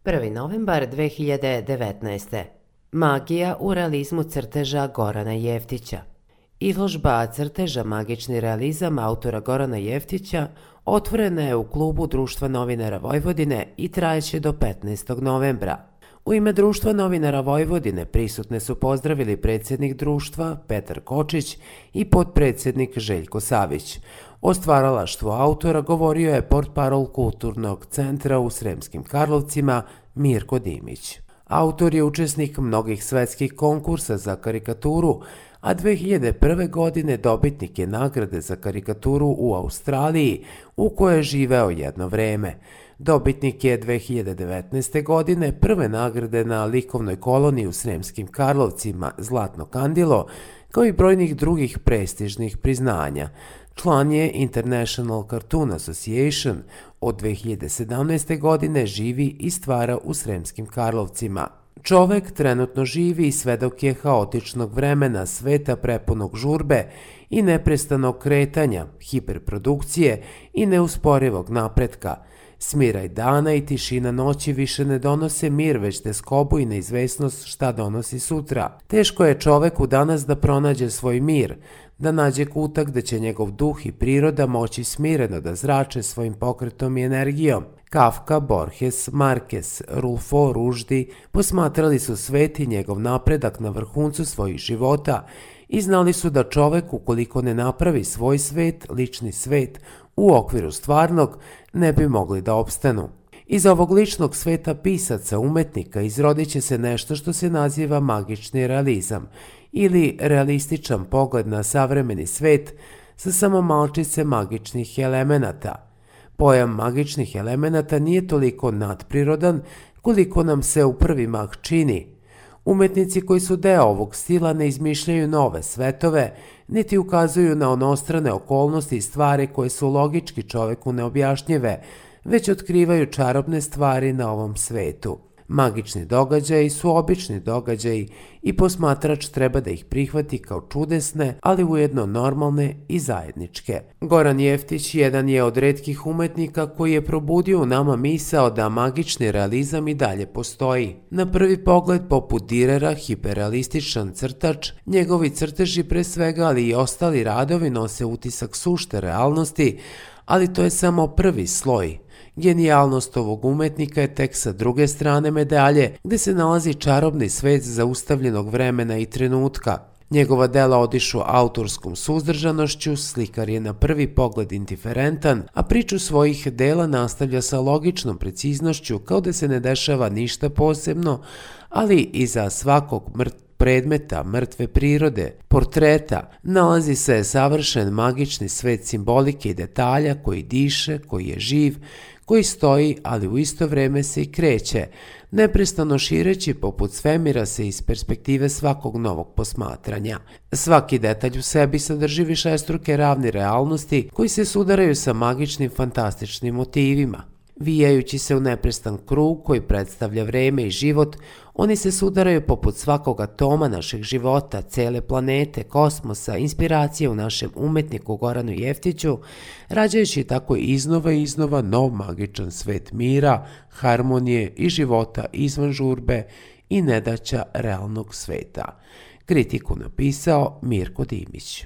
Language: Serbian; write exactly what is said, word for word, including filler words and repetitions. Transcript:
prvi novembar dve hiljade devetnaeste. Magija u realizmu crteža Gorana Jeftića. Izložba crteža Magični realizam autora Gorana Jeftića otvorena je u klubu Društva novinara Vojvodine i trajeće do petnaestog novembra. U ime Društva novinara Vojvodine prisutne su pozdravili predsjednik društva Petar Kočić i potpredsjednik Željko Savić. O stvaralaštvu autora govorio je portparol Kulturnog centra u Sremskim Karlovcima Mirko Dimić. Autor je učesnik mnogih svetskih konkursa za karikaturu, a dve hiljade prve. godine dobitnik je nagrade za karikaturu u Australiji, u kojoj je živeo jedno vreme. Dobitnik je dve hiljade devetnaeste. godine prve nagrade na likovnoj koloniji u Sremskim Karlovcima Zlatno kandilo, kao i brojnih drugih prestižnih priznanja. Član je International Cartoon Association, od dve hiljade sedamnaeste. godine živi i stvara u Sremskim Karlovcima. Čovek trenutno živi i svedok je haotičnog vremena, sveta prepunog žurbe i neprestanog kretanja, hiperprodukcije i neusporivog napretka. Smiraj dana i tišina noći više ne donose mir, već teskobu i neizvesnost šta donosi sutra. Teško je čoveku danas da pronađe svoj mir, da nađe kutak da će njegov duh i priroda moći smireno da zrače svojim pokretom i energijom. Kafka, Borges, Marquez, Rulfo, Ruždi posmatrali su svet i njegov napredak na vrhuncu svojih života i znali su da čovek, ukoliko ne napravi svoj svet, lični svet, u okviru stvarnog, ne bi mogli da opstanu. Iz ovog ličnog sveta pisaca, umetnika, izrodit će se nešto što se naziva magični realizam ili realističan pogled na savremeni svet sa samo malčice magičnih elemenata. Pojam magičnih elemenata nije toliko nadprirodan koliko nam se u prvi mah čini. Umetnici koji su deo ovog stila ne izmišljaju nove svetove, niti ukazuju na onostrane okolnosti i stvari koje su logički čoveku neobjašnjive, već otkrivaju čarobne stvari na ovom svetu. Magični događaji su obični događaji i posmatrač treba da ih prihvati kao čudesne, ali ujedno normalne i zajedničke. Goran Jeftić jedan je od retkih umetnika koji je probudio u nama misao da magični realizam i dalje postoji. Na prvi pogled, poput Direra, hiperrealističan crtač, njegovi crteži pre svega, ali i ostali radovi nose utisak sušte realnosti, ali to je samo prvi sloj. Genijalnost ovog umetnika je tek sa druge strane medalje, gde se nalazi čarobni svet zaustavljenog vremena i trenutka. Njegova dela odišu autorskom suzdržanošću, slikar je na prvi pogled indiferentan, a priču svojih dela nastavlja sa logičnom preciznošću kao da se ne dešava ništa posebno, ali iza svakog mrtvog predmeta, mrtve prirode, portreta, nalazi se savršen magični svet simbolike i detalja koji diše, koji je živ, koji stoji, ali u isto vreme se i kreće, neprestano šireći poput svemira se iz perspektive svakog novog posmatranja. Svaki detalj u sebi sadrži višestruke ravni realnosti koji se sudaraju sa magičnim fantastičnim motivima. Vijajući se u neprestan krug koji predstavlja vreme i život, oni se sudaraju poput svakog atoma našeg života, cele planete, kosmosa, inspiracije u našem umetniku Goranu Jeftiću, rađajući tako iznova i iznova nov magičan svet mira, harmonije i života izvan žurbe i nedaća realnog sveta. Kritiku napisao Mirko Dimić.